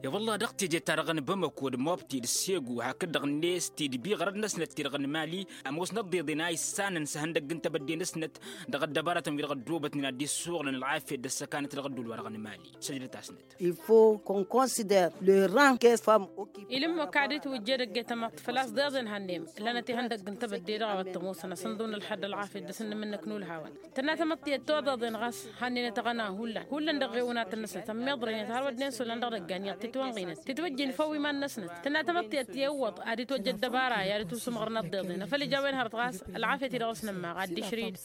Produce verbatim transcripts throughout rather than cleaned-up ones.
I-wălla dăɣ-teje-ta-dăɣ n-bamăko d-mobti d-segu hakd-dăɣ-net tidbi ɣărăd-năsnăt ti-dăɣ n-mali. Ămoosnăt d-iḍen a issanăn s-ehăndăgg n-tebădde-năsnăt dăɣ-ăddăbarătăn wi-dăɣ ăddoobătnen ad-dd-issuɣǝlăn ălɣafyăt d-ăssăkanăt dăɣ-ădduul-wa-dăɣ n-mali. Săjdăt-asnăt. Il-faut qu'on considère le rang que femmes occupent. Ilǝmmăk ad-itwǝjjed ăgg-e tamăḍt făl-a-s d-iḍen hannăyăm ǝllanăt ihăndăgg n-tebădde dăɣ-a-wa t-ămoosăn asǝnḍǝw n-ǝlxad d-ălɣafyăt d-asǝnnǝm-năk n-ulhawăn. Tănna tamăḍt tiyyăt toḍeḍen ɣas hannăynăt aɣăna hullan hullan dăɣ-ɣewăn ad-tăn-năsnăt ămmiḍrăynet har wădden s-hullan dăɣ-idăggan iyyăḍ titwănɣinăt titwăjjin făw iman-năsnăt. Tănna tamăḍt tiyyăt tiyyăwwăḍ ad-itwăjja ăddăbara i-ad-dd-tusǝmɣărăn ăḍḍeḍen afăl ija a-wen hărăt ɣas ălɣafyăt-i-dăɣ s-nǝmmaɣ ad-dd-išrǝyǝd.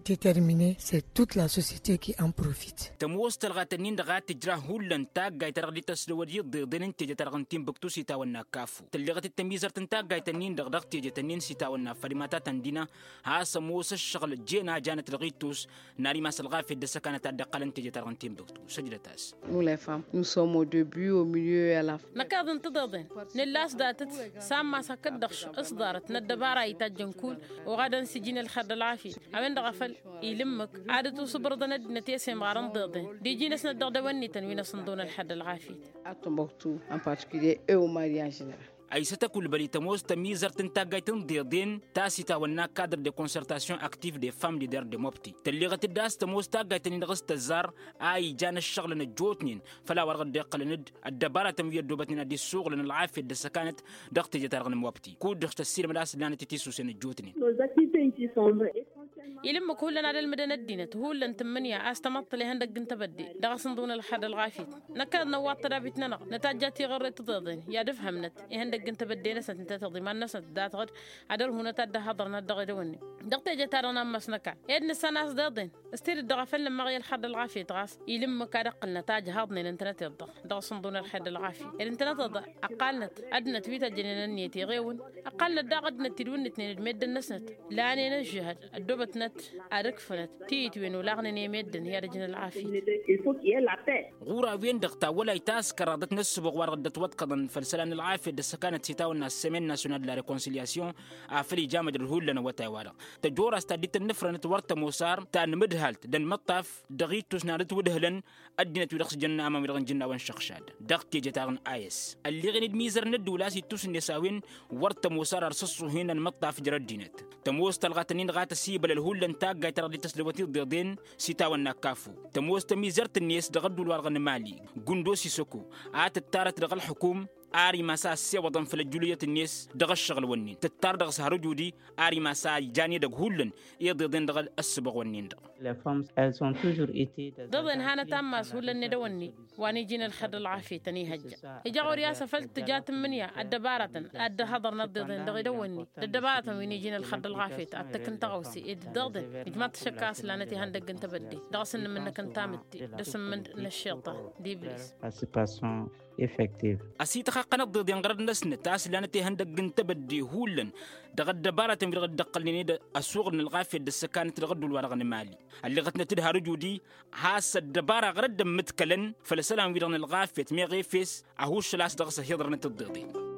Déterminer, c'est toute la société qui en profite. Tămoos tălɣat-nin-dăɣ a tǝjrah hullan taggayt ta dăɣ-dd-tăsdăwăd iḍeḍen n-teje-ta-dăɣ n-tinbǝktu s-itawănna kafu tălleɣăt-dd tămizărt n-taggayt-nin-dăɣ dăɣ-teje-tăn-in s-itawănna fărimata tăndina. Has-ămoos ǝššăɣǝl jen a janăt dăɣ-ittus n-ad-imas ălɣafyăt d-ăssăkanăt a dd-iqqălăn teje-ta-dăɣ n-tinbǝktu săjdăt-as. Nous les femmes nous sommes au début, au milieu et à la fin. Năkk iḍen tiḍeḍen nǝlla a-s datăt sammas hakd-dăɣ s-ḍarăt n-ăddăbara itajjăn kull oɣadăn s-ijin ălxer d-ălɣafyăt. A-wen-dăɣ a făl ilǝmmǝk ad-dd-tusǝbrǝḍăn ăddinăt i-ăsemɣarăn d-iḍen d-iji-năsnăt dăɣ-dăwănnităn wi n-asǝnḍǝwăn ălxer d-ălɣafyăt. A timbuktu en particulier et au mariage n-general. Ăysăt ăkulbăl i-tămoos tămizărt n-taggayt n-deḍen ta s-itawănna cadre de concertation active des femmes leaders de mobti tălleɣăt-dd a-s tămoos taggayt-nin-dăɣ s-tăzzar a ijan ǝššăɣǝlăn ăjjootnen făll-a-wa-dăɣ dd-iqqălăn-dd ăddăbaratăn wi ăddoobătnen ad-dd-issuɣǝlăn ălɣafyăt d-ăssăkanăt dăɣ-teje-ta-dăɣ n-mobti kud-dăɣ s-tăssiilmăd a-s ǝllanăt-t-isusen ăjjootnen. Ilǝmmǝk hullan ad-ălmǝdăn ăddinăt hullan tǝmmǝnǝya a-s tamăḍt tăla ihăndăgg n-tebădde dăɣ-asǝnḍǝw n-ălxer d-ălɣafyăt. Năkk ad-năwwaḍ tădabit-nănăɣ nătajja tiɣărre tiḍeḍen i-ad-ǝfhămnăt ihăndăgg n-tebădde-năsnăt ǝnta tiḍiman-năsnăt datăɣ-dd ad-ărhunăt ad-dd-ăhhăḍărnăt dăɣ-edăwănne dăɣ-teje-ta-dăɣ n-ammas n-ăkall ed nǝssan a-s d-iḍen. S-tidǝt dăɣ-afăl nǝmmaɣ i-ălxer d-ălɣafyăt ɣas ilǝmmǝk ad-ǝqqǝlnăt ajhăḍnen ǝntănăteḍ-dăɣ dăɣ-asǝnḍǝw n-ălxer d-ălɣafyăt ed ǝntănăteḍ ăqqalnăt ăddinăt wi tăjjănen ănniyăt iɣewǝn. Ăqqalnăt daɣ ăddinăt tidwǝnnǝtnen d-meddǝn-năsnăt lanen ăžžǝhăd ăddoobătnăt ad-ǝkfǝnăt tiyǝtwen olaɣnen i-meddǝn i-ad-ǝjǝn ălɣafyăt. Ɣur-a-wen-dăɣ tawălayt ta s-kăraḍăt n-ăssǝboɣ wa-dăɣ dd-ătwăḍkăḍăn făll-isălan n-ălɣafyăt d-ăssăkanăt s-itawănna semaine nationale de la réconciliation afăl ija măjrăd hullan awătay-wa-dăɣ tăjorrast ta dd-tăn-nǝfrănăt wăr tămoos ar ta n-imǝdhalt d-ănmăṭṭaf dăɣ-ittus n-ad-ǝtwǝdhǝlăn ăddinăt wi dăɣ-s jănna amăn wi dăɣ-nǝjǝnna wa n-išăɣšad dăɣ-teje-ta-dăɣ n-a s ălleɣen d-imizărăn n-ăddula a-s ittus-net a-wen wăr tămoos ar ar s-ăṣṣuhen ănmăṭṭaf jer-ăddinăt. Tămoos tălɣat-nin-dăɣ a tăsibălăl hullan taggayt ta dăɣ-dd-tăsdăwăt iḍeḍen s-itawănna kafu tămoos tămizărt-net dăɣ-ăddul wa-dăɣ n-mali gǝndo s-isăko a tǝttarăt dăɣ-ălxǝkum ar imas a ăssewăḍăn făll-ăjjǝlǝyăt-net dăɣ-ăššăɣǝl-wǝnnin tǝttar dăɣ-s hărǝj udi ar imas a ijan edăgg hullan iḍeḍen dăɣ-ăssǝbăɣ-wǝnnin-dăɣ. Ḍeḍen hanăt ammas hullan n-edăwănni wa n-iji n-ălxer d-ălɣafyăt ănihăjja ija ɣur-i a-s afăl tǝja tǝmmǝnǝya ăddăbarătăn ad-dd-ăhhăḍărnăt ḍeḍen dăɣ-edăwănni d-ăddăbarătăn wi n-iji n-ălxer d-ălɣafyăt ad-tǝkkǝn tăɣawse ed dd-ăḍen ijmaḍ-t ašăkka a-s lanăt ihăndăgg n-tebădde dăɣ-asǝnnǝm-năk n-tamǝtte d-asǝmmǝnd n-ăššiṭṭan d-iblis. Ăsităxaqqăn ăḍḍeḍen ɣărăd-năsnăt a-s lanăt ihăndăgg n-tebădde hullan dăɣ-ăddăbarătăn wi-dăɣ dd-ăqqălnen ed ăsuɣǝl n-ălɣafyăt d-ăssăkanăt dăɣ-ădduul-wa-dăɣ n-mali. Ălleɣătnăt d-harǝj udi has-ăddăbara ɣărăd dd-ămmǝdkălăn făll-isălan-wi-dăɣ n-ălɣafyăt meɣ efes ăhuššăl a-s dăɣ-s ăhiḍărnăt ǝḍḍeḍen.